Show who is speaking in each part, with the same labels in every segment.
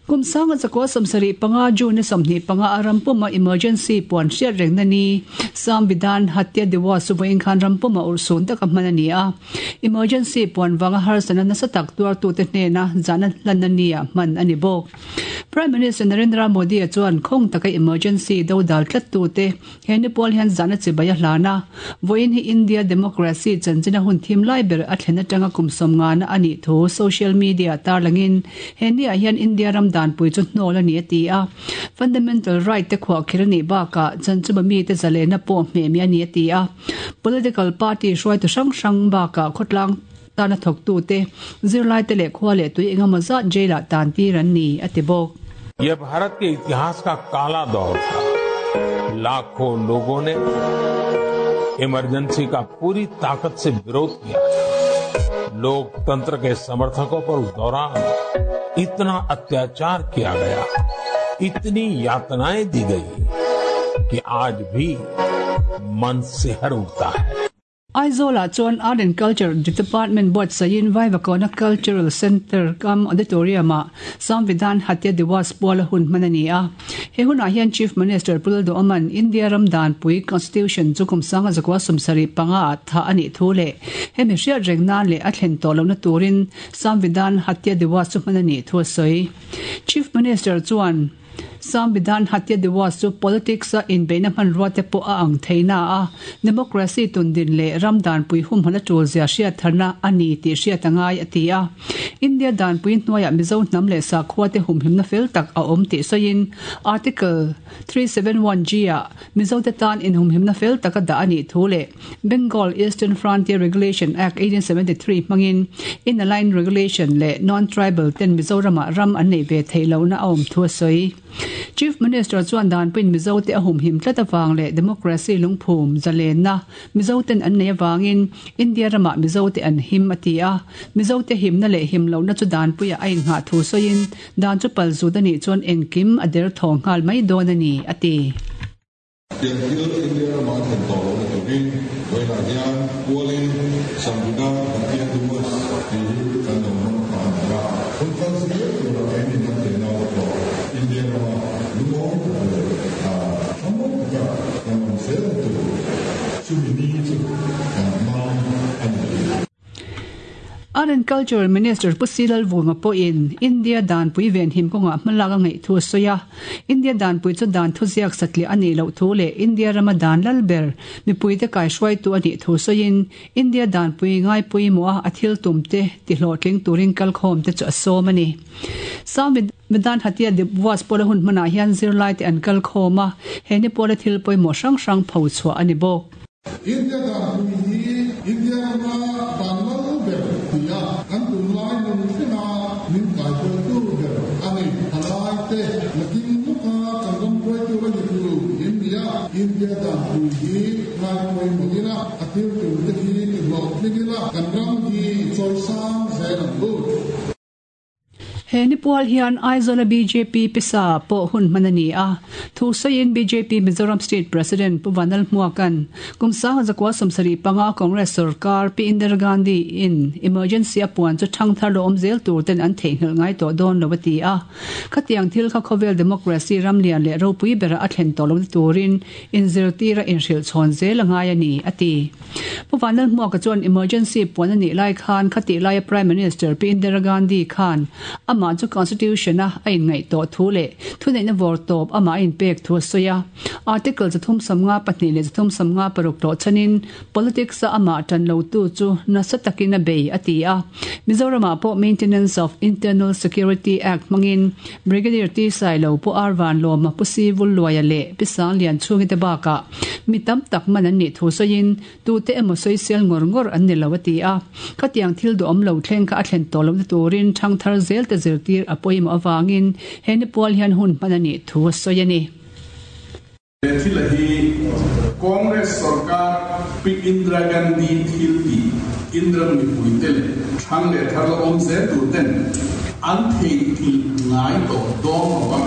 Speaker 1: Kum 1975 June ni 25 a rampuma emergency puan hriat rengna ni Samvidhan Hatya Diwas chu vawiin khan rampuma urhsun taka hman a ni a. Emergency puan vanga harsatna nasa tak tuartute hnena zahna hlanna nia hman a ni bawk. Prime Minister Narendra Modi-a chuan khawng taka emergency do dal tlattute he ni pual hian zahna chibai a hlan a. Vawiin hi India democracy chanchina hun thim lai ber a thlen atanga kum sawmngana a nih thu social media tarlangin he niah hian India ram danpui chu hnawl a ni a ti a. Fundamental right te khuahkhir a nih bakah chanchuma mite zalena pawh hmehmi a ni a ti a. Political party hruaitu hrang hrang bakah khawtlang tana thawktute, zirlaite leh khua leh tui engemaw zat jail-ah tan tir an ni, a ti bawk.
Speaker 2: यह भारत के इतिहास का काला दौर था लाखों लोगों ने इमरजेंसी का पूरी ताकत से विरोध किया था लोकतंत्र के समर्थकों पर उस दौरान इतना अत्याचार किया गया इतनी यातनाएं दी गई कि आज भी मन सिहर उठता है
Speaker 1: Aizawlah chuan Art and Culture Department buatsaihin Vaivakawn-a Cultural Centre kam Auditorium-ah Samvidhan Hatya Diwas puala hun hman a ni a. He hunah hian Chief Minister Pu Lalduhawma'n India ram danpui, Constitution, chu kum 1975 ah thah a nih thu leh hemi hriat reng nan leh a thlen tawh lohna turin Samvidhan Hatya Diwas chu hman a nih thu a sawi. Chief Minister chuan Samvidhan Hatya Diwas chu politics-a inbeihna hmanrua te pawh a ang thei na a, democracy tundin leh ram danpui humhmun a tul zia hriat tharna a ni tih hriat a ngai a ti a. India danpui hnuaiah Mizo hnam leh sakhua te humhimna fel tak a awm tih sawiin Article 371 G ah Mizo te tan inhumhimna fel tak a dah a nih thu leh Bengal Eastern Frontier Regulation Act 1873 hmangin Inner Line Regulation leh Non-Tribal ten Mizoramah ram an neih ve theih lohna a awm thu a sawi. Chief Minister chuan danpuiin Mizote a humhim tlat avang leh democracy lungphum zalenna Mizoten an nei avangin India ramah Mizote an him a ti a. Mizote himna leh him lohna chu danpuiah a innghah thu sawiin dan chu pal zut a nih chuan engkim a derthaw nghal mai dawn a ni a ti.
Speaker 3: Tiang thil India rama a thlen tawh lohna turin vawiinah hian pualin Samvidhan Hatya Diwas tih hi kan lo hmang ta a ni a. Hun kal zel tura keini hnam tenau te pawh India rama lungawi tak leh thlamuang taka kan awm zelna tur chumi ni chu kan hmang a ni.
Speaker 1: Art and Culture Minister Pu Si Lalvunga pawhin India danpui venhim kawngah hmalak a ngaih thu a sawi a. India danpui chu dan thuziak satliah a nih loh thu leh India rama dan lal ber mipuite kaihruaitu a nih thu sawiin India danpui ngaipawimawha a thil tumte tihlawhtling turin kalkhawmte chu a sawm a ni. Samvidhan Hatya Diwas pawla hun hmanah hian zirlaite an kalkhawm a, he ni pawla thil pawimawh hrang hrang phochhuah a ni bawk.
Speaker 3: India danpui hi India rama dan lal ber ti a, kan tunlai nun thlenga min kaihruaitu ber a ni. Thalaite nakin lawka kan ram hruaitu la ni tur in ni a, India danpui hi ngaipawimawh ila, a thil turte hi ti hlawhtling ila, kan ram hi i chawisang zel ang u.
Speaker 1: He ni pual hian Aizawla bjp pisa pawh hun hman a ni a. Thu sawiin bjp Mizoram State President Pu Vanal Hmuaka'n kum 1975 Congress sorkar Pi Indira Gandhi in emergency a puan chu thangthar lo awm zel tur ten an theihnghilh ngai tawh dawn lo a ti a. Khatiang thil kha khawvel democracy ram lian leh ropui bera a thlen tawh lohna turin inzirtira inhrilh chhawn zel a ngai a ni, a ti. Pu Vanlalhmuaka chuan emergency puan a nih lai khan khatih laia Prime Minister Pi Indira Gandhi khan amah chu Constitution a a inngaih tawh thu leh thuneihna vawr tawp amah a inpek thu a sawi a. Article 352 leh 356 tlawh chhanin politics a amah tan lotu chu nasa takin a bei a ti a. Mizoramah pawh Maintenance of Internal Security Act hmangin Brigadier T Sailo, Pu Ar Vanlawma, Pu Si Vulluaia leh Pi Sanglian chhungite bakah mi tam tak man an nih thu sawiin tute emaw sawisel ngawr ngawr an ni lo a ti a. Khatiang thil duhawm lo thleng kha a thlen tawh lohna turin thangthar zelte zirtir a pawimawh avangin he ni pual hian hun hman a nih thu a sawi a ni.
Speaker 4: He thil a hi Congress sorkar Pi Indira Gandhi thil tih Indira mipuite leh thlang leh thar la awm zel tur ten an theihnghilh ngai tawh dawn lo va,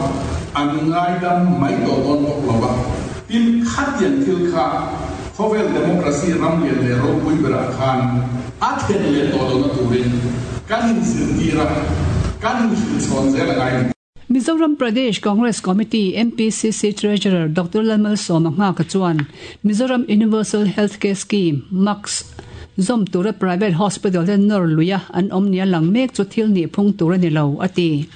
Speaker 4: an ngaidam mai tawh dawn bawk lo va. Tin, khatiang thil kha. Khawvel democracy ram lian leh ropui berah khan a thlen leh tawh lohna turin kan inzirtir a, kan inhrilhchhawn zel a ngai a ni.
Speaker 1: Mizoram Pradesh Congress Committee, MPCC, Treasurer Doctor Lalmalsawma Nghaka chuan Mizoram Universal Health Care Scheme, MUCS, zawm tura private hospital te nawr luia an awm nia lang mek chu thil nih phung tur a ni lo, a ti.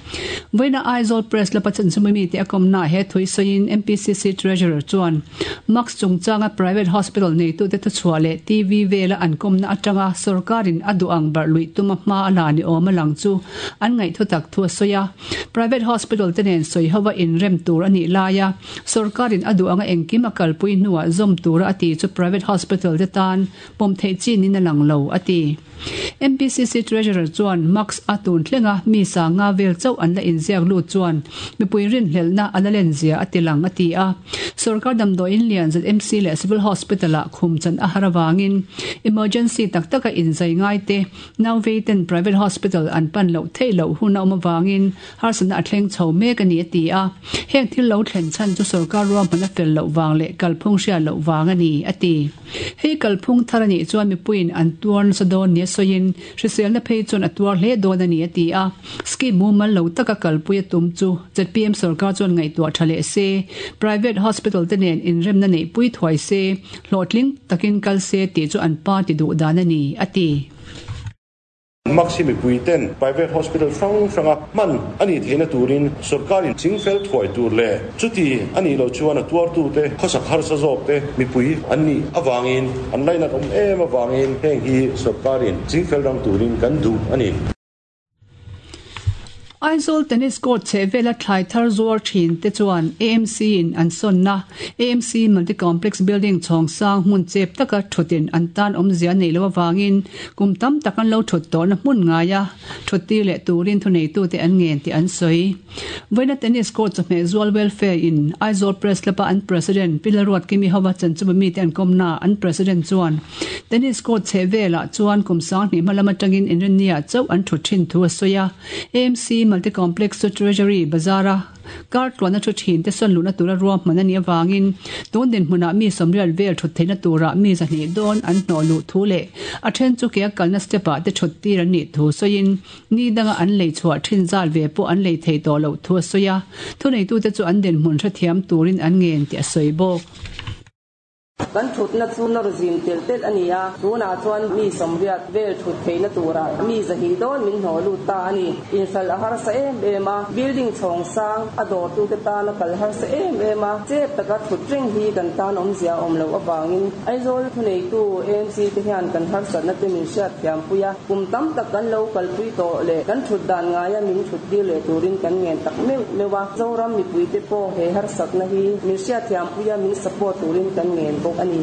Speaker 1: Vawiina Aizawl Press Club-a chanchinbu mite a kawmnaah he thui sawiin MPCC Treasurer chuan MUCS chungchanga private hospital neitute thuchhuah leh TV vela an kawmna atanga sorkarin a duh ang barh luih tuma hma a la ni awm a lang chu an ngaihthu tak thu a sawi a. Private hospital te nen sawi hova inrem tur a nih laia sorkarin a duh anga engkim a kalpui hnuah zawm tura a ti chu private hospital te tan pawm theih chin in a lang lo, a ti. MPCC Treasurer chuan Max a tun thlenga mi sanga vel chauh an la inziak lut chuan mipui rinhlelhna a la len zia a ti lang, a ti a. Sorkar damdawiin lian ZMC leh Civil Hospital-ah khum chan a har avangin emergency tak taka inzai ngai te Nauvei ten private hospital an pan loh theih loh hun a awm avangin harsatna a thleng chho mek a ni a ti a. Heng thil lo thlen chhan chu sorkar ruahman a fel loh vang leh kalphung hriat loh vang a ni a ti. Hei kalphung thar a nih chuan mipuiin an tuar nasa dawn nia sawiin hriselna phei chuan a tuar hle dawn a ni a ti a. Scheme mumal lo taka kalpui a tum chu zpm sorkar chuan ngaihtuah tha leh se, private hospital te nen inremna neihpui thuai se, Hlawhtling takin kal se tih chu an party duh dan a ni, a ti.
Speaker 5: Maxi mipui ten private hospital hrang hranga hman a nih theihna turin sorkarin chingfel thuai tur leh chuti a nih loh chuan a tuartute khawsak harsa zawkte mipui an nih avangin an lainat awm em avangin heng hi sorkarin chingfel rang turin kan duh a ni.
Speaker 1: Aizawl Tennis Court chhehvela thlai thar zuar thin te chuan AMC in an sawnna AMC Multi Complex Building chhawng sang hmun chep taka thutin an tan awmzia neih loh avangin kum tam tak an lo thut tawhna hmun ngaia thut tir leh turin thuneitute an ngen tih an sawi. Vawiina Tennis Court chawhmeh zual Welfare in Aizawl Press Club a an President Pi Lalruatkimi hova chanchuma mite an kawmna an President chuan Tennis court chheh velah chuan kum sanghnih hma lam atangin inrinniah chauh an thut thin thu a sawi a. AMC Multi Complex chu Treasury Bazar-a kar tluanna thu thin te sawn luhna tura ruahman a nih avangin tun dinhmunah mi sawmriat vel thut theihna turah mi zahnih dawn an hnawh luh thu leh a then chu ke a kalna step-ah te thut tir an nih thu sawiin ni danga an lei chhuah thin zat ve pawh an lei thei tawh loh thu a sawi a. Thuneitute chu an dinhmun hrethiam turin an ngen tih a sawi bawk.
Speaker 6: Kan thutna chu nawr zim telh telh a ni a, tunah chuan mi sawmriat vel thut theihna turah mi zahnih dawn min hnawh lut ta a ni. Inhralh a harsa em em a, building chhawng sang a dawrtute tana kal harsa em em a, chep taka thut reng hi kan tan awmzia a awm loh avangin Aizawl thuneitu AMC te hian kan harsatna te min hriatthiampui a, kum tam tak kan lo kalpui tawh leh kan thut dan ngaia min thut tir leh turin kan ngen tak meuh meuh a, Zoram mipuite pawh he harsatna hi min hriatthiam Puia min support turin kan ngen bawk a ni.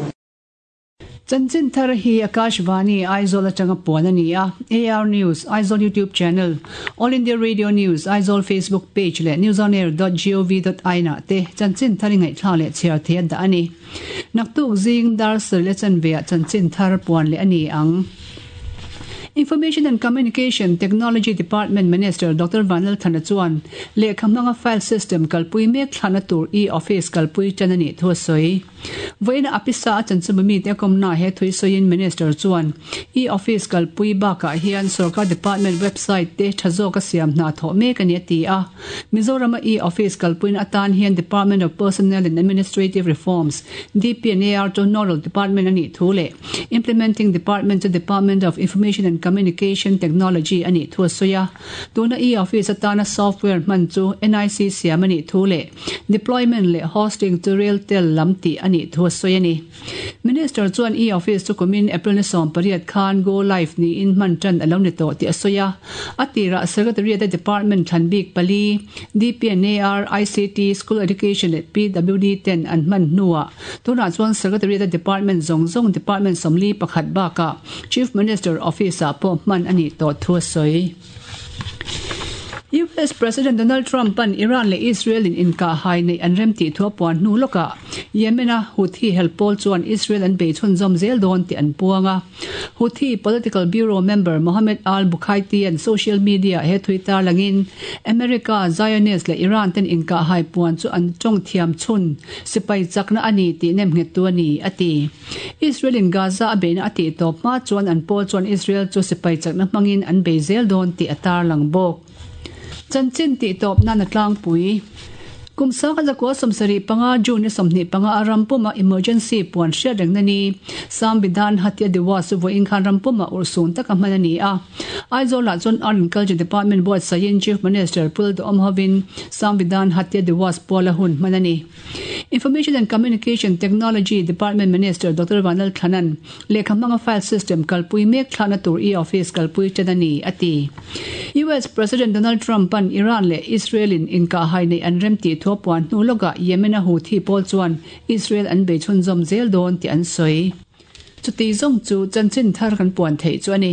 Speaker 1: Chanchin thar hi Akashvani Aizawl atanga puan a ni a, AR News, Aizawl YouTube Channel, All India Radio News, Aizawl Facebook Page leh newsonair dot gov dot in ah te chanchin thar i ngaihthlak leh chhiar thei a dah a ni. Naktuk zing dar sarih leh chanve ah chanchin thar puan leh a ni ang. Information and Communication Technology Department Minister Doctor Vanlalthana chuan lehkha hmanga file system kalpui mek thlahna tur e-office kalpui tan a nih thu a sawi. Vawiina a pisa a chanchinbu mite a kawmnaah he thui sawiin Minister chuan e-office kalpui bakah hian sorkar department website te tha zawka siam hna thawh mek a ni a ti a. Mizorama e-office kalpuina atan hian Department of Personnel and Administrative Reforms, DPNAR, chu nodal department a nih thu leh Implementing Department chu Department of Information and Communication Technology a nih thu a sawi a. Tuna e-office atana software hman chu nic siam a nih thu leh deployment leh hosting chu Railtel lam tih a nih thu a sawi a ni. Minister chuan e-office chu kumin April ni 18 khan go live niin hman tan a lo ni tawh tih a sawi a. A tirah Secretariat-a department thlan bik pali, DPNAR, ICT, School Education leh PWD ten an hman hnuah tunah chuan Secretariat-a department zawng zawng department 41 bakah Chief Minister Office-ah pawh hman a nih tawh thu a sawi. US President Donald Trump-a'n Iran leh Israel-in inkahhai neih an rem tih thu a puan hnu lawkah Yemen-a Houthi hel pawl chuan Israel an bei chhunzawm zel dawn tih an puang a. Houthi Political Bureau member Mohammed al-Bukhaiti-a'n social media-ah he thui tarlangin America, Zionist leh Iran ten inkahhai puan chu an tawng thiam chhun sipai chakna a ni tih nemnghettu a ni, a ti. Israel-in Gaza a beihna a tih tawp hma chuan an pawl chuan Israel chu sipai chakna hmangin an bei zel dawn tih a tarlang bawk. Chanchin tih tawp nan a tlangpui. Kum sangha zakua 75 June ni 25 a ram puma emergency puan hriat rengna ni Samvidhan Hatya Diwas chu vawiin khan ram puma urhsun taka hman a ni a. Aizawl-ah chuan Art and Culture Department buatsaihin Chief Minister Pul Duhawm hovin Samvidhan Hatya Diwas puala hun hman a ni. Information and Communication Technology Department Minister Doctor Vanlal Thlanan lehkha hmanga file system kalpui mek thlahna tur e-office kalpui ṭan a ni, a ti. US President Donald Trump-a'n Iran leh Israel-in inkahhai neih an rem tih thu a puan hnu lawkah Yemen-a Houthi pawl chuan Israel an bei chhunzawm zel dawn tih an sawi. Chuti zawng chu chanchin thar kan puan theih chu a ni.